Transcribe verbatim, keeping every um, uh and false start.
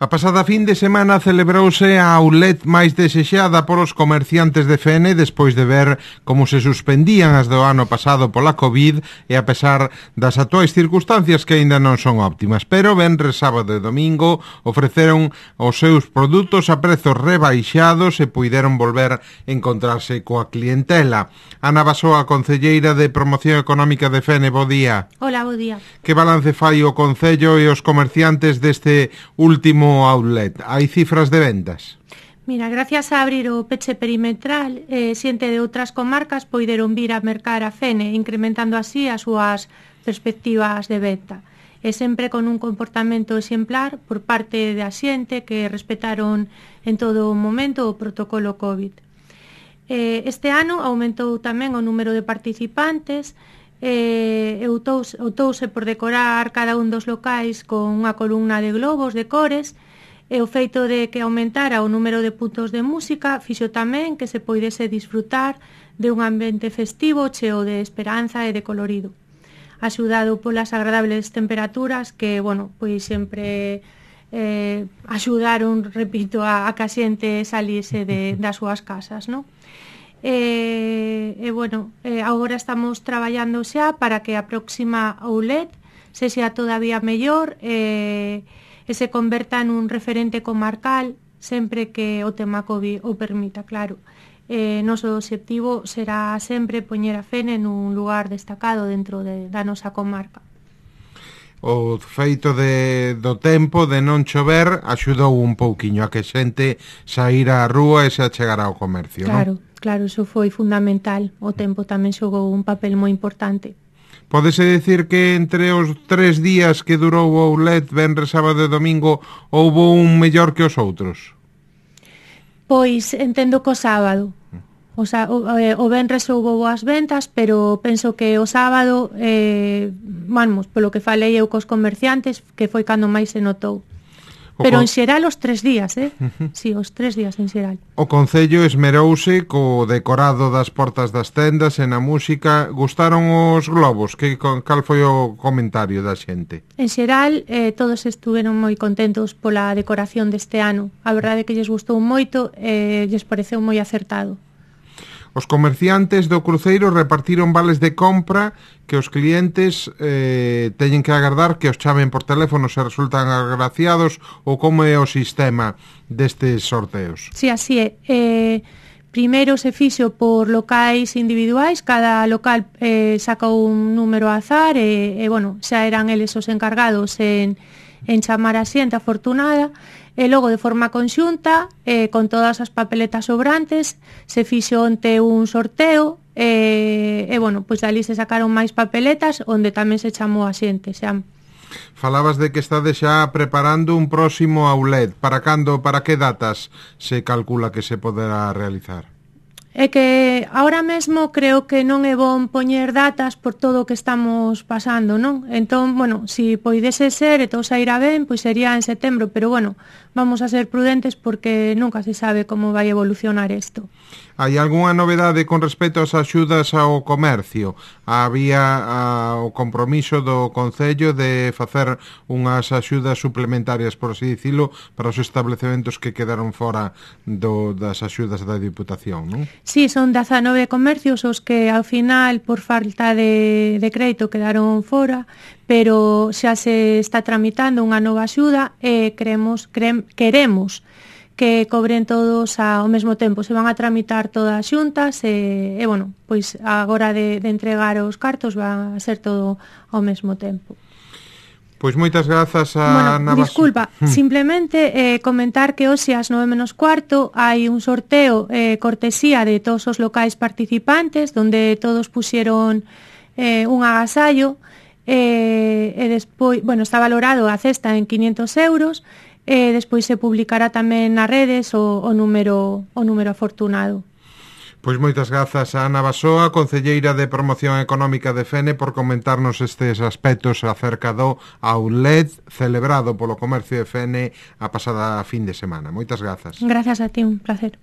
A pasada fin de semana celebrouse a outlet máis desexada polos comerciantes de Fene despois de ver como se suspendían as do ano pasado pola COVID e a pesar das actuais circunstancias que aínda non son óptimas. Pero venres, sábado e domingo ofreceron os seus produtos a prezos rebaixados e puideron volver a encontrarse coa clientela. Ana Basoa, concelleira de Promoción Económica de Fene, bo día. Hola, bo día. Que balance fai o Concello e os comerciantes deste último outlet? Hai cifras de vendas? Mira, gracias a abrir o peche perimetral, eh, xente de outras comarcas poideron vir a mercar a Fene, incrementando así as súas perspectivas de venta. E sempre con un comportamento exemplar por parte da xente que respetaron en todo o momento o protocolo COVID. Eh, este ano aumentou tamén o número de participantes, e optouse, optouse por decorar cada un dos locais con unha columna de globos de cores, e o feito de que aumentara o número de puntos de música fixo tamén que se poidese disfrutar de un ambiente festivo cheo de esperanza e de colorido, axudado polas agradables temperaturas que, bueno, pois sempre eh, axudaron, repito, a, a que a xente salise de, das súas casas, non? E, e bueno, eh, agora estamos traballando xa para que a próxima outlet sexa todavía mellor e, e se converta nun referente comarcal sempre que o tema COVID o permita, claro. Eh, noso obxectivo será sempre poñer a Fene nun lugar destacado dentro de, da nosa comarca. O feito de, do tempo de non chover axudou un pouquiño a que xente saíra á rúa e se achegara ao comercio, claro, non? Claro, iso foi fundamental. O tempo tamén xogou un papel moi importante. Pódese dicir que entre os tres días que durou o outlet, venres, sábado e domingo, houbo un mellor que os outros? Pois entendo que o sábado. O, sa, o, o venres houbo boas ventas, pero penso que o sábado, eh, vamos, polo que falei eu cos comerciantes, que foi cando máis se notou. Pero en xeral os tres días, eh? Uh-huh. Sí, os tres días en xeral. O Concello esmerouse co decorado das portas das tendas e na música. Gustaron os globos? Que, cal foi o comentario da xente? En xeral, eh, todos estuveron moi contentos pola decoración deste ano. A verdade é que lles gustou moito e eh, lles pareceu moi acertado. Os comerciantes do cruceiro repartiron vales de compra que os clientes eh, teñen que agardar que os chamen por teléfono se resultan agraciados, ou como é o sistema destes sorteos? Si, sí, así é. Eh, primeiro se fixo por locais individuais, cada local eh, sacou un número a azar e, e bueno, xa eran eles os encargados en, en chamar a xente afortunada. E logo, de forma conxunta, eh, con todas as papeletas sobrantes, se fixo onte un sorteo e, e bueno, pois ali se sacaron máis papeletas onde tamén se chamou a xente, xa. Falabas de que estades xa preparando un próximo outlet. Para cando, para que datas se calcula que se poderá realizar? É que ahora mesmo creo que non é bon poñer datas por todo o que estamos pasando, non? Entón, bueno, si poidese ser e todo sairá ben, pois sería en setembro, pero bueno, vamos a ser prudentes porque nunca se sabe como vai evolucionar isto. Hai algunha novedade con respecto ás axudas ao comercio? Había a, o compromiso do Concello de facer unhas axudas suplementarias, por así dicilo, para os establecementos que quedaron fora do, das axudas da Diputación, non? Sí, son dezanove comercios os que ao final, por falta de, de crédito, quedaron fora, pero xa se está tramitando unha nova axuda e creemos, creem, queremos que cobren todos ao mesmo tempo. Se van a tramitar todas xuntas e, e bueno, pois agora de, de entregar os cartos va a ser todo ao mesmo tempo. Pois moitas grazas a bueno, Ana Basoa. Disculpa, simplemente eh, comentar que hoxe ás nove menos cuarto hai un sorteo eh, cortesía de todos os locais participantes, donde todos puxeron eh, un agasallo e, e despois, bueno, está valorado a cesta en quinhentos euros e despois se publicará tamén nas redes o, o número o número afortunado. Pois moitas grazas a Ana Basoa, concelleira de Promoción Económica de Fene, por comentarnos estes aspectos acerca do outlet celebrado polo comercio de Fene a pasada fin de semana. Moitas grazas. Grazas a ti, un placer.